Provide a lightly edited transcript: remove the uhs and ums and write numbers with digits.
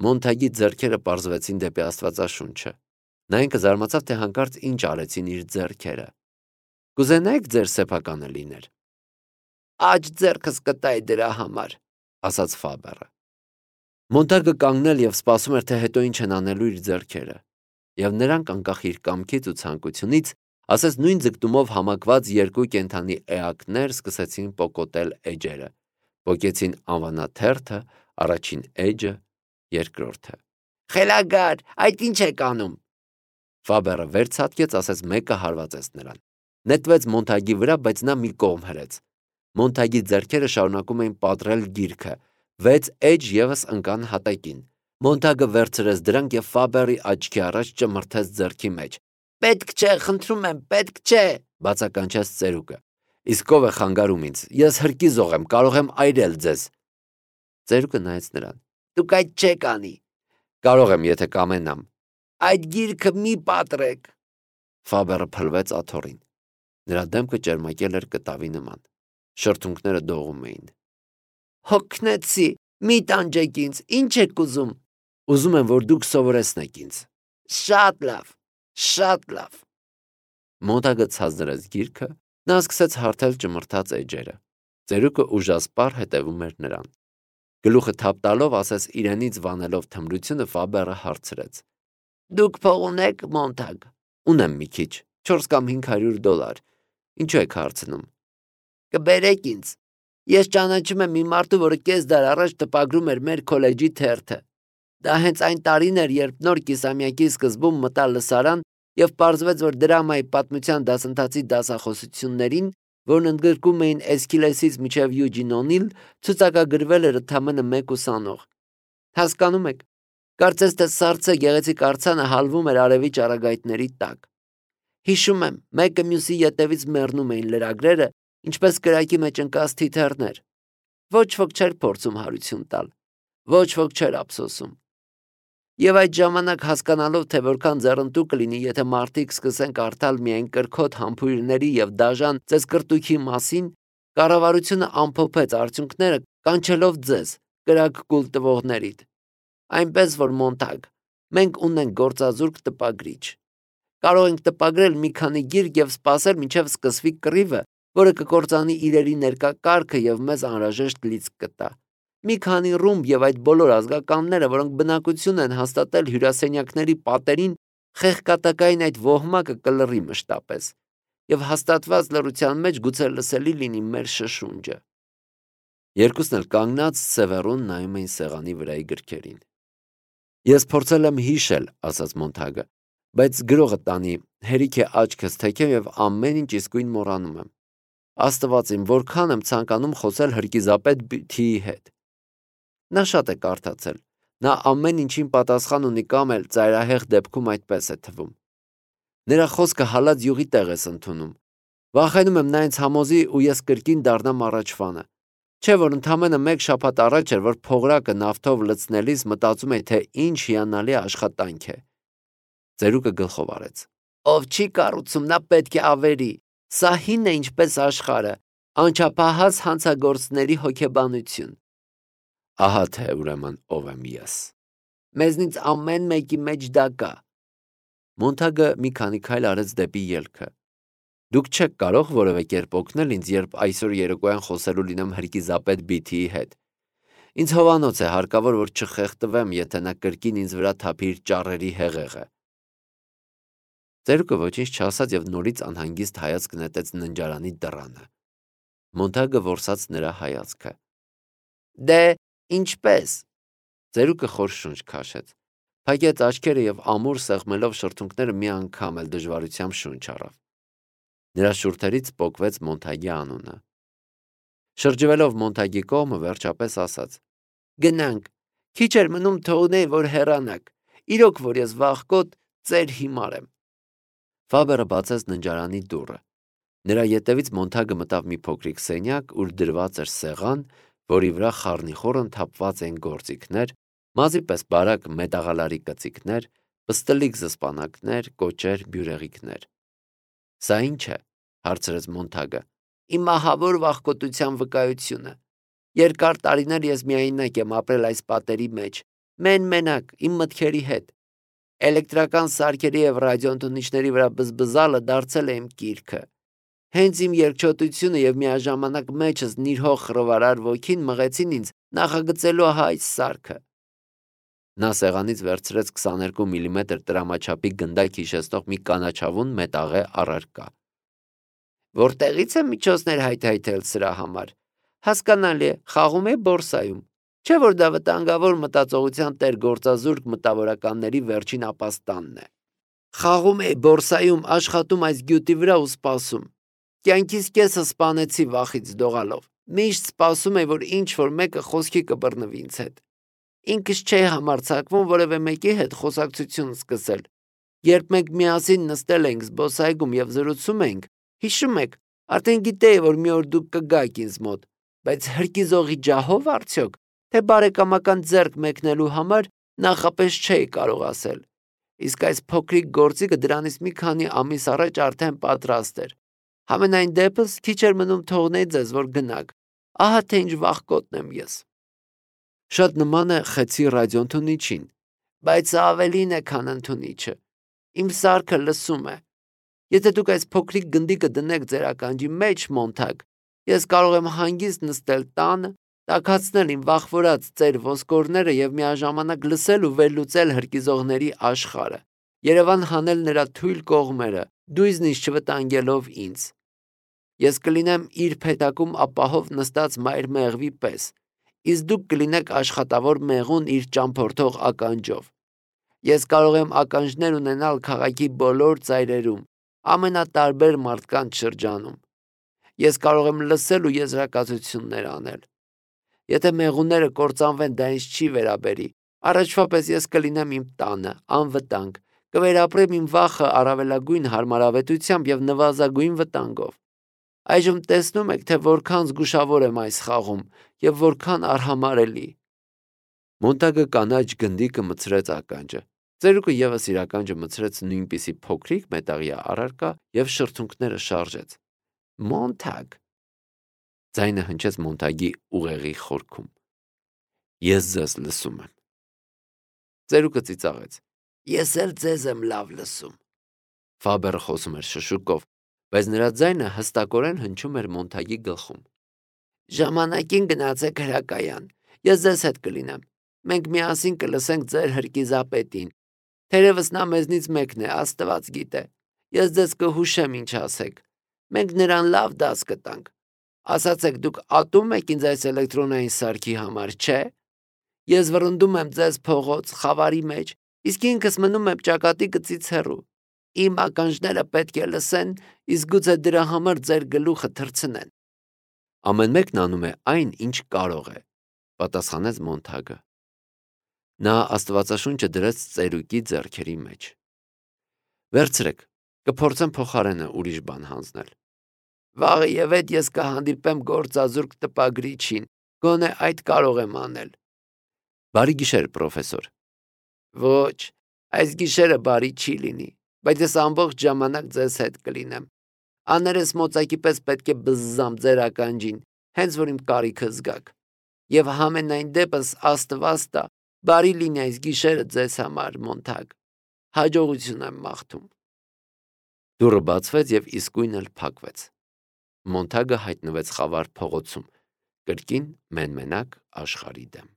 Մոնթագի ձեռքերը պարզվեցին դեպի Աստվածաշունչը։ Նա ինքը զարմացավ, թե հանկարծ ինչ արեցին իր ձեռքերը։ Կուզենայիք ձեր սեփականը լիներ։ Աջ ձեռքս կտայի դրա համար, ասաց Ֆաբերը։ Մոնտագը կանգնել եւ սպասում էր, թե հետո ինչ են անելու իր ձեռքերը։ Եվ նրանք անկախ իր կամքից ու ցանկությունից, ասես նույն ձգտումով համակված երկու կենդանի էակներ սկսեցին պոկոտել էջերը։ Պոկեցին անվանաթերթը, առաջին էջը, երկրորդը։ Խելագար, այդ ինչ եք անում։ Ֆաբերը վեր ցատկեց, ասես մեկը հարվածեց նրան։ Նետվեց Մոնտագի վրա, բայց նա մի կողմ հրեց։ Մոնտագի ձեռքերը շարունակում էին պատռել գիրքը։ 6 էջ եւս ընկան հատակին։ Մոնտագը վերցրեց դրանք եւ Ֆաբերի աչքի առաջ ճմրթեց ձեռքի մեջ։ Պետք չէ, խնդրում եմ, պետք չէ, բացականչեց ծերուկը։ Իսկ ով է խանգարում ինձ։ Ես հրկիզող եմ, կարող եմ այրել ձեզ։ Ծերուկը նայեց նրան։ Դուք այդ չեք անի։ Կարող եմ, եթե կամենամ։ Այդ գիրքը մի պատռեք։ Ֆաբերը փլվեց աթոռին։ Նրա դեմքը ճերմակել էր կտավի նման։ Շրթունքները դողում էին։ Հոգնեցի, մի տանջեք ինձ, ինչ եք ուզում։ Ուզում եմ, որ դուք սովորեցնեք ինձ։ Շատ լավ, շատ լավ։ Մոնտագը ցածրեց գիրքը, նա սկսեց հարթել ճմրթած էջերը։ Ծերուկը ուժասպառ հետևում էր նրան։ Գլուխը թափ տալով, ասես իրենից վանելով թմրությունը, Ֆաբերը հարցրեց. Դուք փող ունեք, Մոնտագ։ Ունեմ մի քիչ, 4 կամ $500։ Ինչու եք հարցնում։ Կբերեք ինձ։ Ես ճանաչում եմ մի մարդու, որը կես դար առաջ տպագրում էր մեր քոլեջի թերթը։ Դա հենց այն տարին էր, երբ նոր կիսամյակի սկզբում մտա լսարան եւ պարզվեց, որ դրամայի պատմության դասընթացի դասախոսություններին, որն ընդգրկում էին Էսքիլեսից մինչև Յուջին Օնիլ, ցուցակագրվել էր ընդամենը 1 ուսանող։ Հասկանում եք, կարծես թե սառցե գեղեցիկ արձանը հալվում էր արևի ճառագայթների տակ։ Հիշում եմ, մեկը մյուսի ետևից մեռնում էին լրագրերը, ինչպես կրակի մեջ ընկած թիթեռներ։ Ոչ ոք չէր փորձում հարություն տալ, ոչ ոք չէր ափսոսում։ Եվ այդ ժամանակ հասկանալով, թե որքան ձեռնտու կլինի, եթե մարդիկ սկսեն կարդալ միայն կրքոտ համբույրների եւ դաժան ծեծկրտուքի մասին, կառավարությունը ամփոփեց արդյունքները, կանչելով ձեզ, կրակ կուլ տվողներիդ։ Այնպես որ Մոնտագ, մենք ունենք գործազուրկ տպագրիչ։ Կարող ենք տպագրել մի քանի գիրք եւ սպասել, մինչեւ սկսվի կռիվը, որը կկործանի իրերի ներկա կարգը եւ մեզ անհրաժեշտ լիցք կտա։ Մի քանի ռումբ եւ այդ բոլոր ազգականները, որոնք բնակություն են հաստատել հյուրասենյակների պատերին, խեղկատակային այդ ոհմակը կլռի մշտապես եւ հաստատված լռության մեջ գուցե լսելի լինի մեր շշունջը։ Երկուսն էլ կանգնած սևեռուն նայում էին սեղանի վրայի գրքերին։ Ես փորձել եմ հիշել, ասաց Մոնտագը, բայց գրողը տանի, հերիք է աչքս թեքեմ եւ ամեն ինչ իսկույն մոռանում եմ։ Աստված իմ, որքան եմ ցանկանում խոսել հրկիզապետ Թիի հետ։ Նա շատ է կարդացել։ Նա ամեն ինչին պատասխան ունի կամ էլ ծայրահեղ դեպքում այդպես է թվում։ Նրա խոսքը հալած յուղի տեղ ես ընդունում։ Վախենում եմ նա ինձ համոզի ու ես կրկին դառնամ առաջվանը։ Չէ՞ որ ընդամենը 1 շաբաթ առաջ էր, որ փողրակը նավթով լցնելիս մտածում էի, թե ինչ հիանալի աշխատանք է։ Ծերուկը գլխով արեց։ Ով չի կառուցում, նա պետք է ավերի։ Սա հին է ինչպես աշխարհը, անչափահաս հանցագործների հոգեբանություն։ Ահա թե ուրեմն ով եմ ես։ Մեզնից ամեն մեկի մեջ դա կա։ Մոնտագը մի քանի քայլ արեց դեպի ելքը։ Դուք չեք կարող որևէ կերպ օգնել ինձ, երբ այսօր երեկոյան խոսելու լինեմ հրկիզապետ Բիթիի հետ։ Ինձ հովանոց է հարկավոր, որ չխեղդվեմ, եթե նա կրկին ինձ վրա թափի իր ճառերի հեղեղը։ Ծերուկը ոչինչ չասաց եւ նորից անհանգիստ հայացք նետեց ննջարանի դռանը։ Մոնտագը որսաց նրա հայացքը։ Դե, ինչպես։ Ծերուկը խոր շունչ քաշեց։ Փակեց աչքերը եւ ամուր սեղմելով շրթունքները մի անգամ էլ դժվարությամբ շունչ առավ։ Նրա շուրթերից պոկվեց Մոնտագի անունը։ Շրջվելով Մոնտագի կողմը վերջապես ասաց. Գնանք, քիչ էր մնում թողնեի, որ հեռանաք, իրոք որ ես վաղկոտ ծեր հիմար եմ։ Ֆաբերը բացեց ննջարանի դուռը։ Նրա ետևից Մոնտագը մտավ մի փոքրիկ սենյակ, ուր դրված էր սեղան, որի վրա խառնիխոռն թափված էին գործիքներ, մազի պես բարակ մետաղալարի կծիկներ, պստլիկ զսպանակներ, կոճեր, բյուրեղիկներ։ Սա ի՞նչ է, հարցրեց Մոնտագը։ Իմ ահավոր վախկոտության վկայությունը։ Երկար տարիներ ես միայնակ եմ ապրել այս պատերի մեջ, մենակ, իմ մտքերի հետ։ Էլեկտրական սարքերի և ռադիոընդունիչների վրա բզբզալը դարձել է իմ կիրքը։ Հենց իմ երկչոտությունը և միաժամանակ մեջս նիրհող խռովարար ոգին մղեցին ինձ նախագծելու այս սարքը։ Նա սեղանից վերցրեց 22 միլիմետր տրամաչափի գնդակ հիշեցնող մի կանաչավուն մետաղե առարկա։ Որտեղից է միջոցներ հայթայթել սրա համար։ Հասկանալի է, խաղում է բորսայում։ Չէ՞ որ դա վտանգավոր մտածողության տեր գործազուրկ մտավորականների վերջին ապաստանն է։ Խաղում է բորսայում, աշխատում այս գյուտի վրա ու սպասում։ Կյանքիս կեսը սպանեցի վախից դողալով։ Միշտ սպասում էի, որ ինչ-որ մեկը խոսքի կբռնվի ինձ հետ։ Ինքս չէի համարձակվում որևէ մեկի հետ խոսակցություն սկսել։ Երբ մենք միասին նստել էինք զբոսայգում և զրուցում էինք, հիշում եք, արդեն գիտեի, որ մի օր դուք կգաք ինձ մոտ, բայց հրկիզողի ջահո՞վ արդյոք, թե բարեկամական ձեռք մեկնելու համար նախապես չէի կարող ասել։ Իսկ այս փոքրիկ գործիքը դրանից մի քանի ամիս առաջ արդեն պատրաստ էր։ Համենայն դեպս քիչ էր մնում թողնեի ձեզ, որ գնաք։ Ահա թե ինչ վախկոտն եմ ես։ Շատ նման է խեցի ռադիոընդունիչին, բայց ավելին է, քան ընդունիչը։ Իմ սարքը լսում է։ Եթե դուք այս փոքրիկ գնդիկը դնեք ձեր ականջի մեջ, Մոնթագ, ես կարող եմ հանգիստ նստել տանը, տաքացնել իմ վախվորած ծեր ոսկորները և միաժամանակ լսել ու վերլուծել հրկիզողների աշխարհը, Երևան հանել նրա թույլ կողմերը, դույզնից չվտանգելով ինձ։ Ես կլինեմ իր փեթակում ապահով նստած մայր մեղվի պես, իսկ դուք կլինեք աշխատավոր մեղուն իր ճամփորդող ականջով։ Ես կարող եմ ականջներ ունենալ քաղաքի բոլոր ծայրերում, ամենատարբեր մարդկանց շրջանում։ Ես կարող եմ լսել ու եզրակացություններ անել։ Եթե մեղուները կործանվեն, դա ինձ չի վերաբերի։ Առաջվա պես ես կլինեմ իմ տանը, անվտանգ, կվերապրեմ իմ վախը առավելագույն հարմարավետությամբ և նվազագույն վտանգով։ Այժմ տեսնում եք, թե որքան զգուշավոր եմ այս խաղում և որքան արհամարհելի։ Մոնտագը կանաչ գնդիկը մտցրեց ականջը։ Ծերուկը ևս իր ականջը մտցրեց նույնպիսի փոքրիկ մետաղյա առարկա և շրթունքները շարժեց։ Մոնթագ։ Ձայնը հնչեց Մոնթագի ուղեղի խորքում։ Ես ձեզ լսում եմ։ Ծերուկը ծիծաղեց։ Ես էլ ձեզ եմ լավ լսում։ Ֆաբերը խոսում էր շշուկով, բայց նրա ձայնը հստակորեն հնչում էր Մոնթագի գլխում։ Ժամանակին գնացեք հրակայան։ Ես ձեզ հետ կլինեմ։ Մենք միասին կլսենք ձեր հրկիզապետին։ Թերևս նա մեզնից մեկն է, Աստված գիտե։ Ես ձեզ կհուշեմ ինչ ասեք։ Մենք նրան լավ դաս կտանք։ Ասացեք, դուք ատում եք ինձ այս էլեկտրոնային սարքի համար, չէ՞։ Ես վռնդում եմ ձեզ փողոց, խավարի մեջ, իսկ ինքս մնում եմ ճակատի գծից հեռու։ Իմ ականջները պետք է լսեն, իսկ գուցե դրա համար ձեր գլուխը թռցնեն։ Ամեն մեկն անում է այն, ինչ կարող է, պատասխանեց Մոնթագը։ Նա Աստվածաշունչը դրեց ծերուկի ձեռքերի մեջ։ Վերցրեք, կփորձեմ փոխարենը ուրիշ բան հանձնել։ Վաղը եւ այդ ես կհանդիպեմ գործազուրկ տպագրիչին, գոնե այդ կարող եմ անել։ Բարի գիշեր, պրոֆեսոր։ Ոչ, այս գիշերը բարի չի լինի, բայց ես ամբողջ ժամանակ ձեզ հետ կլինեմ։ Աներես մոծակի պես պետք է բզզամ ձեր ականջին, հենց որ իմ կարիքը զգաք։ Եվ համենայն դեպս Աստված տա, բարի լինի այս գիշերը ձեզ համար, Մոնթագ։ Հաջողություն եմ մաղթում։ Դուռը բացվեց և իսկույն էլ փակվեց։ Մոնթագը հայտնվեց խավար փողոցում, կրկին մեն-մենակ աշխարհի դեմ։